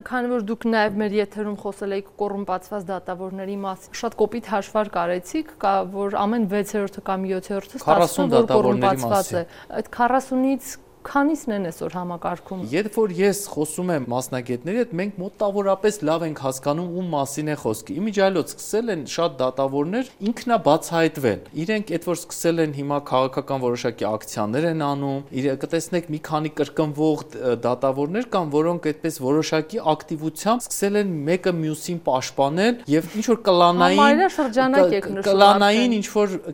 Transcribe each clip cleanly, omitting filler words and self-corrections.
Քանի որ դուք նաև մեր եթերում խոսել եք կոռումպացված դատավորների մասին, շատ կոպիտ հաշվարկ արեցիք, որ ամեն 6-րդը կամ 7-րդը ստացվում որ կոռումպացված է։ Այդ 40-ից քանիսն են այսօր համակարգում։ Երբ որ ես խոսում եմ մասնագետների հետ, մենք մոտավորապես լավ ենք հասկանում ում մասին է խոսքը։ Իմիջիայլոց սկսել են շատ դատավորներ ինքնաբացահայտվել։ Իրենք այդ որ սկսել են հիմա քաղաքական որոշակի ակցիաներ են անում, կտեսնեք մի քանի կրկնվող դատավորներ կան, որոնք այդպես որոշակի ակտիվությամբ սկսել են մեկը մյուսին պաշտպանել եւ ինչ որ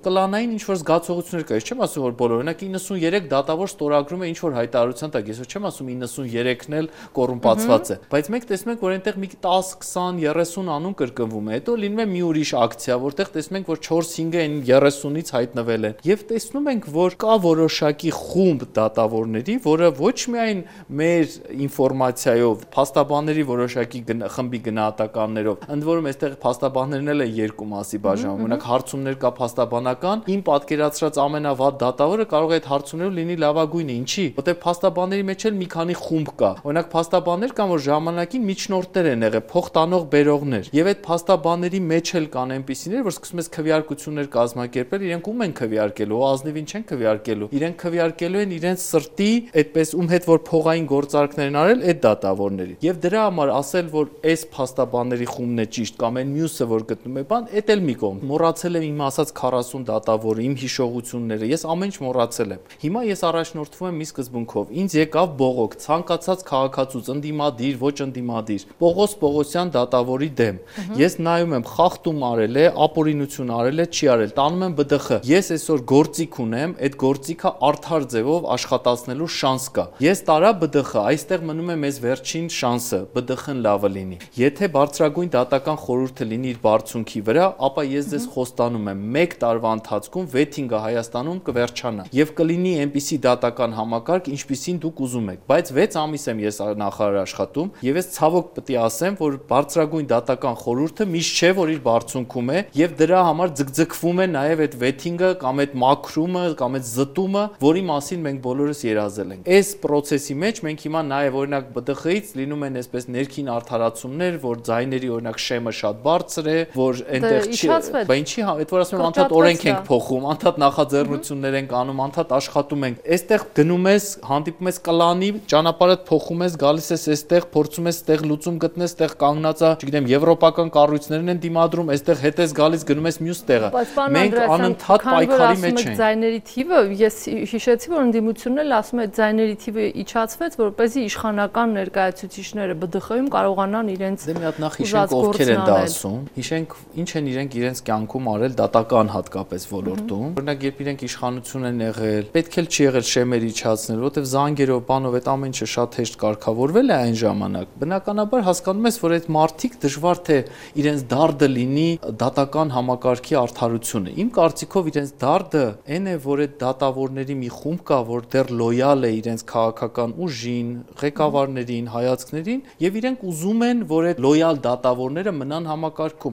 կլանային ինչ որ զգացողություններ կա։ Ես չեմ ասում որ բոլորը, օրինակ 93 դատավոր ստորագրում է ինչ որ հայտարարության տակ, ես չեմ ասում 93-ն էլ կոռումպացված է, բայց մենք տեսնում ենք, որ այնտեղ մի 10, 20, 30 անուն կրկնվում է, հետո լինում է մի ուրիշ ակցիա, որտեղ տեսնում ենք, որ 4-5-ը այն 30-ից հայտնվել են, եւ տեսնում ենք, որ կա որոշակի խումբ դատավորների, որը ոչ միայն մեր ինֆորմացիայով, փաստաբանների որոշակի խմբի գնահատականներով, ընդ որում այստեղ փաստաբաններն էլ են երկու մասի բաժանվում, օրինակ հարցումներ կա փաստաբանական, իմ պատկերացրած ամենավատ դատավորը կարող է այդ հարցումներով լինի լավագույնը, ինչի որտեղ փաստաբանների մեջ էլ մի քանի խումբ կա։ Օրինակ փաստաբաններ կան, որ ժամանակին միջնորդներ են եղել, փոխտանող բերողներ։ Եվ այդ փաստաբանների մեջ էլ կան այնպիսիներ, որ սկսում ես քվեարկություններ կազմակերպել, իրենք ում են քվեարկելու, ազնիվին չեն քվեարկելու։ Իրենք քվեարկելու են իրենց սրտի, այդպես ում հետ որ փողային գործարքներ են արել, այդ դատավորների։ Եվ դրա համար ասել, որ այս փաստաբանների խումբն է ճիշտ կամ այն մյուսը, որ գտնում է բան, այդ էլ մի կողմ։ Մոռացել եմ իմ ասած 40 դատավորը, իմ հիշողությունները, ես ամեն ինչ մոռացել եմ։ Հիմա ես առաջնորդվում եմ մի սկզբունքով, ինձ եկավ բողոք, ցանկացած քաղաքացուց, ընդդիմադիր, ոչ ընդդիմադիր, Պողոս Պողոսյան դատավորի դեմ։ Ես նայում եմ, խախտում արել է, ապօրինություն արել է, չի արել, տանում եմ ԲԴԽ։ Ես այսօր գործիք ունեմ, այդ գործիքը արդար ձևով աշխատացնելու շանս կա։ Ես տարա ԲԴԽ, այստեղ մնում է մեզ վերջին շանսը, ԲԴԽ-ն լավը լինի։ Եթե բարձրագույն դատական խորհուրդը լինի իր բարձունքի վրա, ապա ես ձեզ խոստանում եմ, 1 տարվա ընթացքում վեթինգը Հայաստանում կվերջանա եւ կլինի այնպիսի դատական համակարգ, ինչպիսին դուք ուզում եք, բայց 6 ամիս եմ ես նախարար աշխատում եւ ես ցավոք պետք է ասեմ, որ բարձրագույն դատական խորհուրդը միշտ չէ, որ իր բարձունքում է եւ դրա համար ձգձգվում է նաեւ այդ վեթինգը կամ այդ մաքրումը կամ այդ զտումը, որի մասին մենք բոլորս երազել ենք։ Այս process-ի մեջ մենք հիմա նաեւ օրինակ ԲԴԽ-ից լինում են այսպես ներքին արդարացումներ, որ ձայների օրինակ շեմը շատ բարձր է, որ այնտեղ չի, բայց ինչի, այդ որ ասում եմ անդադ օրենք ենք փոխում, անդադ նախաձեռնություններ ենք անում, անդադ աշխատում ենք։ Այստեղ գնում ես, հանդիպում ես կլանի, ճանապարհդ փոխում ես, գալիս ես այստեղ, փորձում ես այստեղ լուծում գտնես, այստեղ կանգնածա, չգիտեմ, եվրոպական կառույցներն են դիմադրում, այստեղ հետ ես գալիս, գնում ես մյուս տեղը։ Մենք անընդհատ պայքարի մեջ ենք։ Ձայների թիվը, ես հիշեցի, որ ընդդիմությունն էլ ասում է, ձայների թիվը իջացվեց, որպեսզի իշխանական ներկայացուցիչները ԲԴԽ-ում կարողանան իրենց մի հատ նախ հիշենք ովքեր են դա ասում, հիշենք ինչ են իրենք իրենց կյանքում արել դատական հատկապես ոլորտում։ Օրինակ, երբ իրենք իշխանություն են եղել, պետք էլ չի եղել շեմեր իջացնել, որովհետև զանգերով, բանով այդ ամեն ինչը շատ հեշտ կարգավորվել է այն ժամանակ։ Բնականաբար հասկանում ես, որ այդ մարդիկ դժվար թե իրենց դարդը լինի դատական համակարգի արդարությունը։ Իմ կարծիքով իրենց դարդը այն է, որ այդ դատավորների մի խումբ կա, որ դեռ լոյալ է իրենց քաղաքական ուժին, ղեկավարներին, հայացքներին, եւ իրենք ուզում են, որ այդ լոյալ դատավորները մնան համակարգում։